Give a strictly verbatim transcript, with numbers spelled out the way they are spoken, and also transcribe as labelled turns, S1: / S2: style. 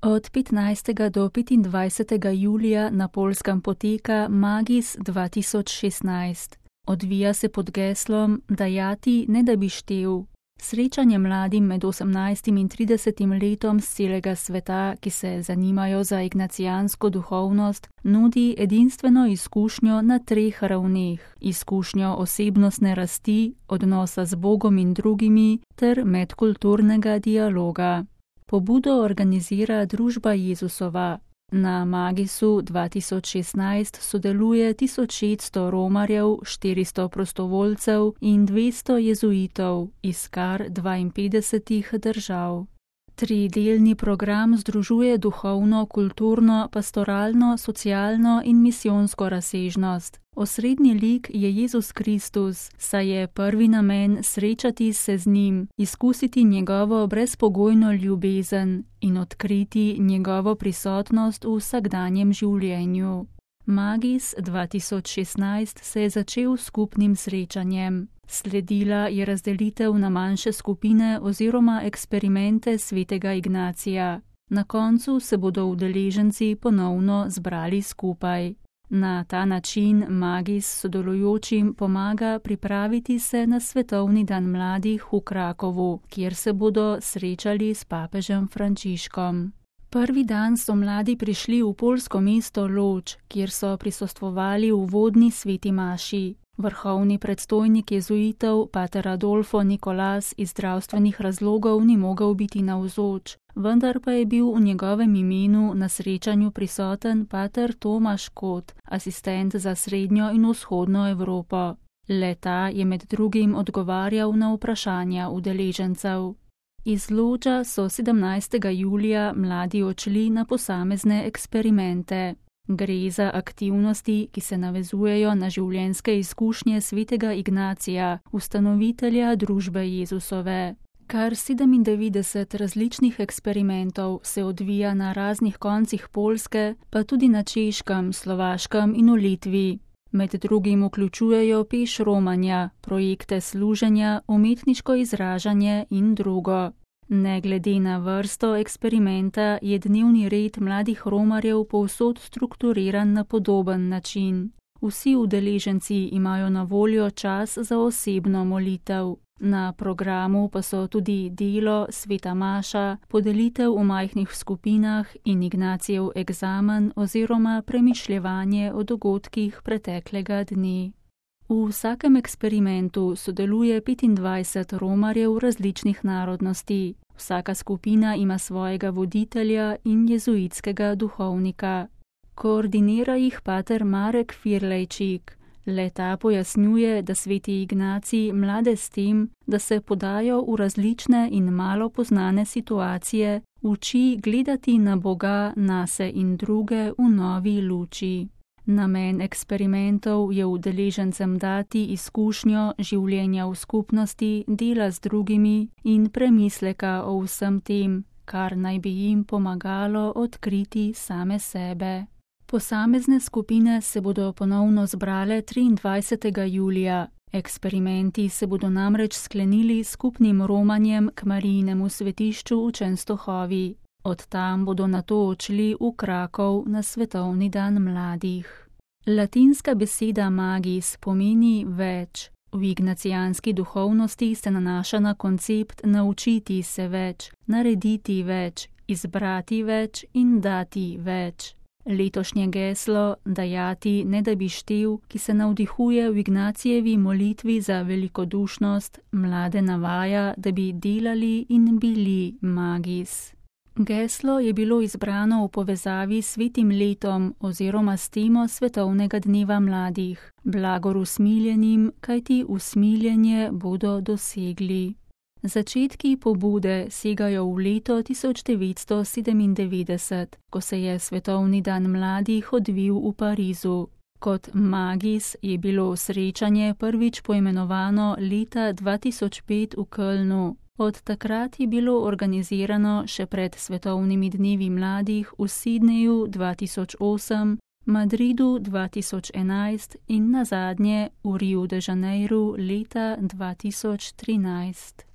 S1: Od petnajstega do petindvajsetega julija na Poljskem poteka Magis dva tisoč šestnajst. Odvija se pod geslom Dajati, ne da bi štel. Srečanje mladim med osemnajstim in tridesetim letom z celega sveta, ki se zanimajo za ignacijansko duhovnost, nudi edinstveno izkušnjo na treh ravneh. Izkušnjo osebnostne rasti, odnosa z Bogom in drugimi ter medkulturnega dialoga. Pobudo organizira Družba Jezusova. Na Magisu dva tisoč šestnajst sodeluje tisoč šeststo romarjev, štiristo prostovoljcev in dvesto jezuitov iz kar dvainpetdesetih držav. Tridelni program združuje duhovno, kulturno, pastoralno, socialno in misijonsko razsežnost. Osrednji lik je Jezus Kristus, saj je prvi namen srečati se z njim, izkusiti njegovo brezpogojno ljubezen in odkriti njegovo prisotnost v vsakdanjem življenju. Magis dva tisoč šestnajst se je začel s skupnim srečanjem. Sledila je razdelitev na manjše skupine oziroma eksperimente svetega Ignacija. Na koncu se bodo udeleženci ponovno zbrali skupaj. Na ta način Magis sodelujočim pomaga pripraviti se na Svetovni dan mladih v Krakovu, kjer se bodo srečali s papežem Frančiškom. Prvi dan so mladi prišli v poljsko mesto Lodž, kjer so prisostvovali v vodni sveti maši. Vrhovni predstojnik jezuitov, pater Adolfo Nikolas, iz zdravstvenih razlogov ni mogel biti navzoč, vendar pa je bil v njegovem imenu na srečanju prisoten pater Tomaž Kot, asistent za srednjo in vzhodno Evropo. Le-ta je med drugim odgovarjal na vprašanja udeležencev. Iz Lodža so sedemnajstega julija mladi odšli na posamezne eksperimente. Gre za aktivnosti, ki se navezujejo na življenjske izkušnje svetega Ignacija, ustanovitelja Družbe Jezusove. Kar sedemindevetdeset različnih eksperimentov se odvija na raznih koncih Poljske, pa tudi na Češkem, Slovaškem in v Litvi. Med drugim vključujejo peš romanja, projekte služenja, umetniško izražanje in drugo. Ne glede na vrsto eksperimenta je dnevni red mladih romarjev povsod strukturiran na podoben način. Vsi udeleženci imajo na voljo čas za osebno molitev. Na programu pa so tudi delo, sveta maša, podelitev v majhnih skupinah in Ignacijev egzamen oziroma premišljevanje o dogodkih preteklega dne. V vsakem eksperimentu sodeluje petindvajset romarjev različnih narodnosti. Vsaka skupina ima svojega voditelja in jezuitskega duhovnika. Koordinira jih pater Marek Firlejčik. Le-ta pojasnjuje, da sveti Ignacij mlade s tem, da se podajo v različne in malo poznane situacije, uči gledati na Boga, nase in druge v novi luči. Namen eksperimentov je udeležencem dati izkušnjo življenja v skupnosti, dela z drugimi in premisleka o vsem tem, kar naj bi jim pomagalo odkriti same sebe. Posamezne skupine se bodo ponovno zbrale triindvajsetega julija. Eksperimenti se bodo namreč sklenili s skupnim romanjem k Marijinemu svetišču v Čenstohovi. Od tam bodo nato odšli v Krakov na Svetovni dan mladih. Latinska beseda magis pomeni več. V ignacijanski duhovnosti se nanaša na koncept naučiti se več, narediti več, izbrati več in dati več. Letošnje geslo Dajati, ne da bi štel, ki se navdihuje v Ignacijevi molitvi za velikodušnost, mlade navaja, da bi delali in bili magis. Geslo je bilo izbrano v povezavi s svetim letom oziroma s temo Svetovnega dneva mladih, blagor usmiljenim, kajti usmiljenje bodo dosegli. Začetki pobude segajo v leto tisoč devetsto sedemindevetdeset, ko se je Svetovni dan mladih odvil v Parizu. Kot magis je bilo srečanje prvič poimenovano leta dva tisoč pet v Kölnu. Od takrat je bilo organizirano še pred Svetovnimi dnevi mladih v Sidneju dva tisoč osem, Madridu dva tisoč enajst in nazadnje v Riu de Janeiru leta dva tisoč trinajst.